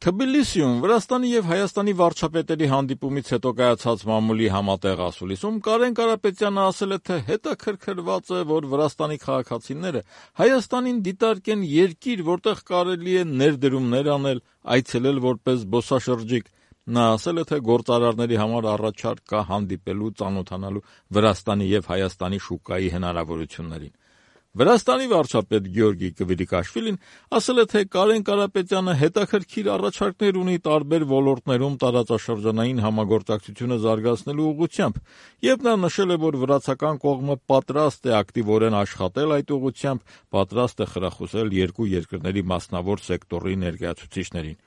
Թբիլիսիում Վրաստանի եւ Հայաստանի վարչապետերի հանդիպումից հետո կայացած մամուլի համատեղ ասուլիսում Կարեն Կարապետյանը ասել է, թե հետաքրքրված է, որ Վրաստանի քաղաքացիները Հայաստանին դիտարկեն երկիր, որտեղ կարելի է ներդրումներ անել, այցելել որպես զբոսաշրջիկ։ Նա ասել է, թե գործարարների համար առաջարկ կա հանդիպելու, ծանոթանալու Վրաստանի եւ Հայաստանի շուկայի հնարավորություններին։ Վրաստանի վարչապետ Գյորգի Կվիրիկաշվիլին ասել է, թե Կարեն Կարապետյանը հետաքրքիր առաջարկներ ունի տարբեր ոլորտներում տարածաշրջանային համագործակցությունը զարգացնելու ուղղությամբ, եւ նա նշել է, որ վրացական կողմը պատրաստ է ակտիվորեն աշխատել այդ ուղղությամբ, պատրաստ է խրախուսել երկու երկրների մասնավոր սեկտորի ներկայացուցիչներին։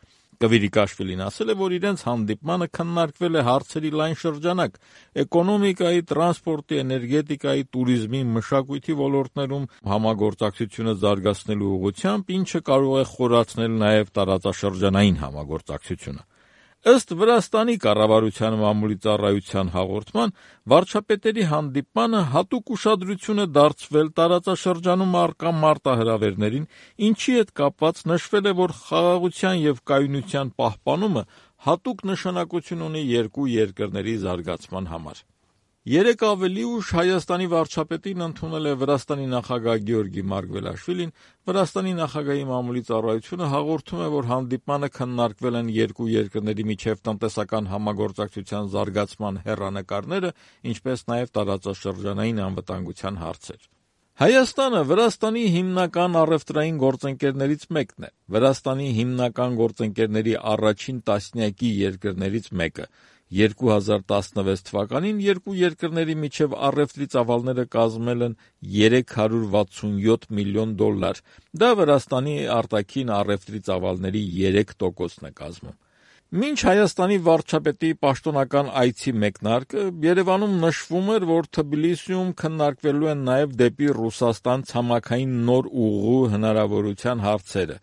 Կվիրիկաշվիլին ասել է, որ իրենց հանդիպմանը քննարկվել է հարցերի լայն շրջանակ՝ էկոնոմիկայի, տրանսպորտի, էներգետիկայի, տուրիզմի, մշակույթի ոլորտներում համագործակցությունը զարգացնելու ուղղությամբ, ինչը կարող է խորացնել նաև տարածաշրջանային համագործակցությունը։ Ըստ Վրաստանի կառավարության մամուլի ծառայության հաղորդման, վարչապետերի հանդիպմանը հատուկ ուշադրություն է դարձվել տարածաշրջանում առկա մարտահրավերներին, ինչի հետ կապված նշվել է, որ խաղաղության եւ կայունության պահպանումը հատուկ նշանակություն ունի երկու երկրների զարգացման համար։ Երեկ ավելի ուշ Հայաստանի վարչապետին ընդունել է Վրաստանի նախագահ Գյորգի Մարգվելաշվիլին։ Վրաստանի նախագահի մամուլի ծառայությունը հաղորդում է, որ հանդիպմանը քննարկվել են երկու երկրների միջև տնտեսական համագործակցության զարգացման հեռանկարները, ինչպես նաև տարածաշրջանային անվտանգության հարցեր։ Հայաստանը Վրաստանի հիմնական առևտրային գործընկերներից մեկն է։ Վրաստանի հիմնական գործընկերների առաջին տասնյակի երկրներից մեկը։ 2016 թվականին երկու երկրների միջև առևտրի ծավալները կազմել են $367 միլիոն։ Դա Վրաստանի արտաքին առևտրի ծավալների 3%-ն է կազմում։ Մինչ Հայաստանի վարչապետի պաշտոնական այցի մեկնարկը Երևանում նշվում էր, որ Թբիլիսիում քննարկվելու են նաև դեպի Ռուսաստան ցամաքային նոր ուղու հնարավորության հարցերը,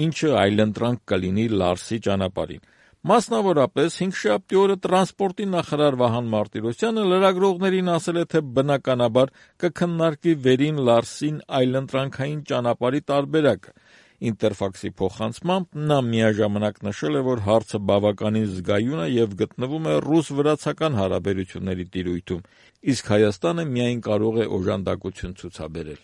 ինչը այլընտրանք կլինի Լարսի ճանապարհին։ Մասնավորապես, հինգշաբթի օրը տրանսպորտի նախարար Վահան Մարտիրոսյանը լրագրողներին ասել է, թե բնականաբար կքննարկվի վերին Լարսին այլընտրանքային ճանապարհի տարբերակը։ Ինտերֆաքսի փոխանցմամբ նա միաժամանակ նշել է, որ հարցը բավականին զգայուն է եւ գտնվում է ռուս-վրացական հարաբերությունների տիրույթում, իսկ Հայաստանը միայն կարող է օժանդակություն ցուցաբերել։